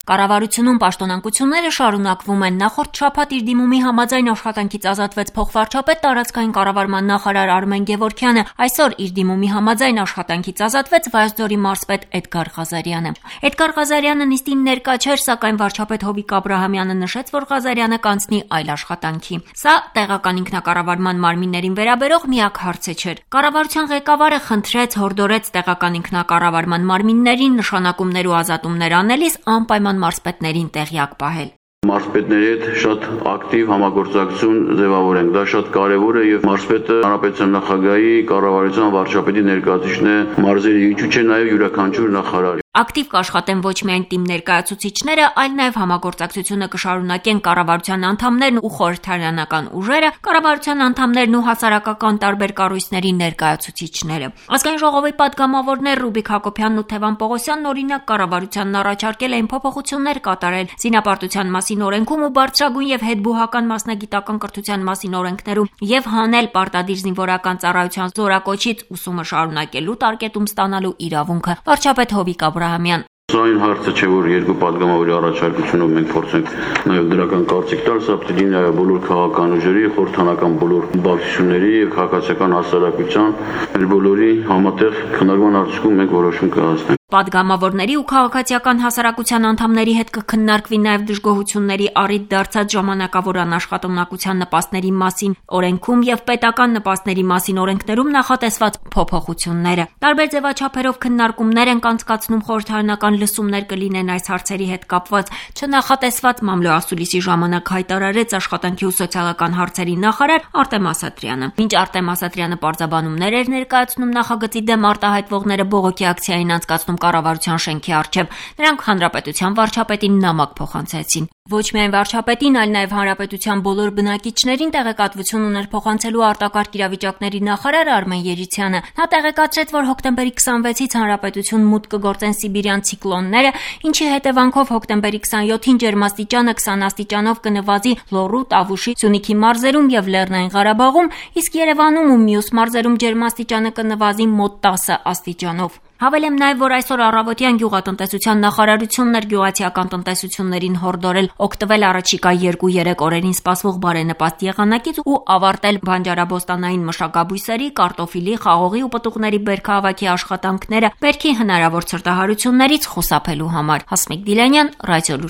Կառավարությունում պաշտոնանկությունները շարունակվում են։ Նախորդ շաբաթ իր դիմումի համաձայն աշխատանքից ազատվեց փոխվարչապետ տարածքային կառավարման նախարար Արմեն Գևորգյանը։ Այսօր իր դիմումի համաձայն աշխատանքից ազատվեց Վայոց-Ձորի մարզպետ Էդգար Ղազարյանը։ Էդգար Ղազարյանը նիստին ներկա չէր, սակայն վարչապետ Հովիկ Աբրահամյանը նշեց, որ Ղազարյանը կանցնի այլ աշխատանքի։ Սա տեղական ինքնակառավարման մարմիններին վերաբերող միակ հարցը չէր։ Կառավարության ղեկավարը խնդրեց, հորդորեց տեղական ինքնակառավարման մարմիններին նշանակումներ ու ազատումներ անելիս անպայման մարզպետներին տեղյակ պահել։ Մարզպետների հետ շատ ակտիվ համագործակցություն ձևավորենք, դա շատ կարևոր է եւ մարզպետը հանրապետության նախագահի, կառավարության վարչապետի ներկայացուցիչն է մարզերի, ինչու՞ չէ նաեւ յուրաքանչյուր նախարար։ Ակտիվ կաշխատեն ոչ միայն թիմ ներկայացուցիչները, այլ նաև համագործակցությունը կշարունակեն կառավարության անդամներն ու խորհրդարանական ուժերը, կառավարության անդամներն ու հասարակական տարբեր կառույցների ներկայացուցիչները։ Ազգային ժողովի պատգամավորներ Ռուբիկ Հակոբյանն ու Թևան Պողոսյանն օրինակ կառավարությանն առաջարկել էին փոփոխություններ կատարել զինապարտության մասին օրենքում ու բարձրագույն եւ հետբուհական մասնագիտական կրթության մասին օրենքներում եւ հանել պարտադիր զինվորական ծառայության զորակոչից ուսումը շարունակելու տարկետում ստանալու իրավունքը։ Վարչապետ Հովիկ Աբրահամյան։ Սա այն հարցը չէ, որ երկու պատգամավորի առաջարկությունով մենք փորձենք նաև դրական կարծիք տալ, սա պետք է նաև բոլոր քաղաքական ուժերի, խորհրդանական բոլոր բնակչությունների եւ քաղաքացիական հասարակության բոլորի համատեղ քննարկման արդյունքում մենք որոշում կհասնենք։ Պատգամավորների ու քաղաքացիական հասարակության անդամների հետ կքննարկվի նաև դժգոհությունների առիթ դարձած ժամանակավոր անաշխատունակության նպաստների մասին օրենքում եւ պետական նպաստների մասին օրենքներում նախատեսված փոփոխությունները։ Տարբեր ձևաչափերով քննարկումներ են անցկացնում, խորհրդարանական լսումներ կլինեն այս հարցերի հետ կապված։ Չնախատեսված մամլոասուլիսի ժամանակ հայտարարեց աշխատանքի ու սոցիալական հարցերի նախարար Արտեմ Ասատրյանը։ Մինչ Արտեմ Ասատրյանը պարզաբանումներ էր ներկայացնում նախագծի դեմ արտահայտվողները բողոքի ակցիային անցկացնում կառավարության շենքի առջև, նրանք հանրապետության վարչապետին նամակ փոխանցեցին։ Ոչ միայն վարչապետին, այլ նաև հանրապետության բոլոր բնակիչներին տեղեկատվություն ուներ փոխանցելու արտակարգ իրավիճակների նախարար Արմեն Երիցյանը։ Նա տեղեկացրեց, որ հոկտեմբերի 26-ից հանրապետություն մուտք կգործեն սիբիրյան ցիկլոնները, ինչի հետևանքով հոկտեմբերի 27-ին ջերմաստիճանը 20 աստիճանով կնվազի Լոռու, Տավուշի, Սյունիքի մարզերում եւ Լեռնային Ղարաբաղում, իսկ Երևանում ու մյուս մարզերում ջերմաստիճանը կնվազի մոտ 10 աստիճանով։ Հավելեմ նաև, որ այսօր առավոտյան գյուղատնտեսության նախարարությունն էր գյուղացիական տնտեսություններին հորդորել օգտվել առաջիկա 2-3 օրերին սպասվող բարենպաստ եղանակից ու ավարտել բանջարաբոստանային մշակաբույսերի, կարտոֆիլի, խաղողի ու պտուղների բերքահավաքի աշխատանքները բերքի հնարավոր ցրտահարություններից խուսափելու համար։ Հասմիկ Դիլանյան, Ռադիոլուր։